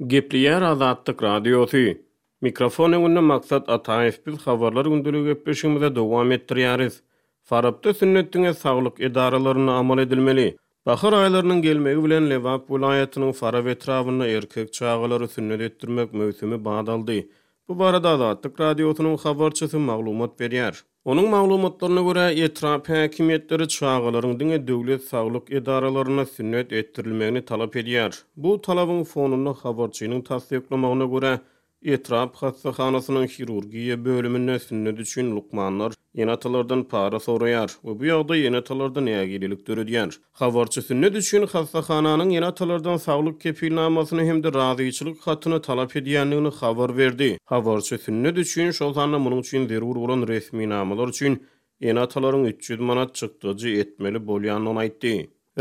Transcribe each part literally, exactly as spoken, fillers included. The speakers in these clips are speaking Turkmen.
Gepleýär Azatlyk Radiosy. Mikrofon öňünde Maksat Ataýew biz habarlar gündeligi gepleşigimize dowam etdirýäris. Farapda sünnet diňe saglyk edaralarynda amal edilmeli. Bahar aýlarynyň gelmegi bilen Lebap welaýatynyň Farap etrabynda erkek çagalary sünnet etdirmek möwsümi bat aldy. Bu barada Azatlyk Radiosynyň habarçysy maglumat berýär. Onuň maglumatlaryna görä, etrap häkimiýetleri çagalaryň diňe döwlet saglyk edaralarynda sünnet etdirilmegini talap edýär. Bu talabyň fonunda habarçynyň tassyklamagyna görä, etrap hassahanasynyň hirurgiýa bölüminde sünnet üçin lukmanlar ene-atalardan para soraýar we bu ýagdaý ene-atalarda nägilelik döredýär. Habarçy sünnet üçin hassahananyň ene-atalardan saglyk kepilnamasyny hem-de razyçylyk hatyny talap edýändigini habar berdi. Habarçy sünnet üçin, şol sanda munuň üçin zerur bolan resminamalar üçin ene-atalaryň üç ýüz manat çykdajy etmeli bolýandygyny aýtdy.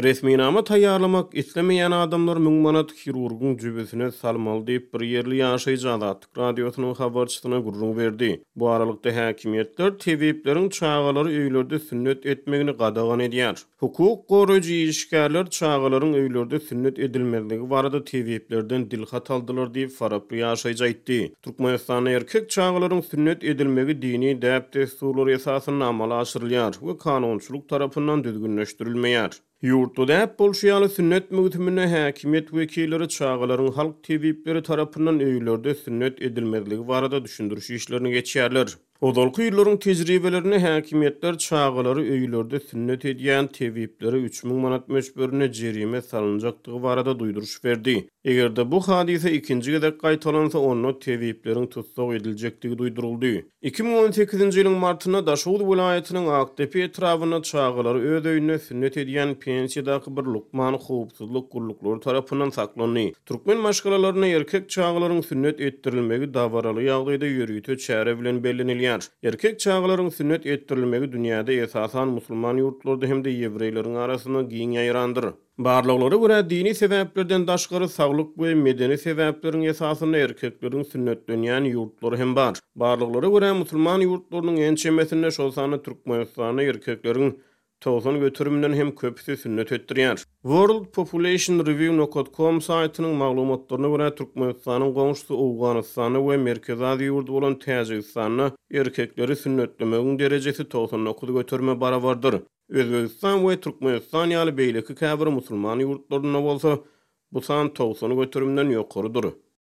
Resminama taýýarlamak islemeýän adamlar müň manat hirurgyň jübüsine salmaly diýip, bir ýerli ýaşaýjy Azatlyk Radiosynyň habarçysyna gürrüň berdi. Bu aralykda häkimiýetler tebipleriň çagalary öýlerde sünnet etmegini gadagan edýär. Hukuk goraýjy işgärler çagalaryň öýlerde sünnet edilmezligi barada tebiplerden dilhat aldylar diýip, faraply ýaşaýjy aýtdy. Türkmenistanda erkek çagalaryň sünnet edilmegi dini däp-dessurlar esasynda amala aşyrylýar we kanunçylyk tarapyndan düzgünleşdirilmeýär. Ýurtda däp bolşy ýaly sünnet möwsüminde häkimiýet wekilleri çagalaryň halk tebipleri tarapyndan öýlerde sünnet edilmezligi barada düşündiriş işlerini geçýärler. Ozalky ýyllaryň tejribelerinde häkimiýetler çagalary öýlerde sünnet edýän tebiplere üç müň manat möçberinde jerime salynjakdygy barada duýduryş berdi. Eger-de bu hadysa ikinji gezek gaýtalansa, onda tebipleriň tussag ediljekdigi duýduryldy. Iki müň on sekizinji ýylyň martynda Daşoguz welaýatynyň Akdepe etrabynda çagalary öz öýünde sünnet edýän pensiýadaky bir lukman howpsuzlyk gulluklary tarapyndan saklandy. Türkmen maşgalalarynda erkek çagalaryň sünnet etdirilmegi dabaraly ýagdaýda ýörite çäre bilen bellenilýär. Erkek çagalaryň sünnet etdirilmegi dünýäde esasan musulman ýurtlarda hem-de ýewreýleriň arasynda giň ýaýrandyr. Barlaglara görä, dini sebäplerden daşgary saglyk we medeni sebäpleriň esasynda erkekleriň sünnetlenýän ýurtlary hem bar. Barlaglara görä, musulman ýurtlarynyň ençemesinde, şol sanda Türkmenistanda erkekleriň togsan göterimden hem köpüsi sünnet etdirýär. World Population Review nokta com saýtynyň maglumatlaryna görä, Türkmenistanyň goňşusy Owganystanda we Merkezi Aziýa ýurdy bolan Täjigistanda erkekleri sünnetlemegiň derejesi togsan dokuz göterime barabardyr. Özbegistan we Türkmenistan ýaly beýleki käbir musulman ýurtlarynda bolsa bu san togsan göterimden ýokarydyr.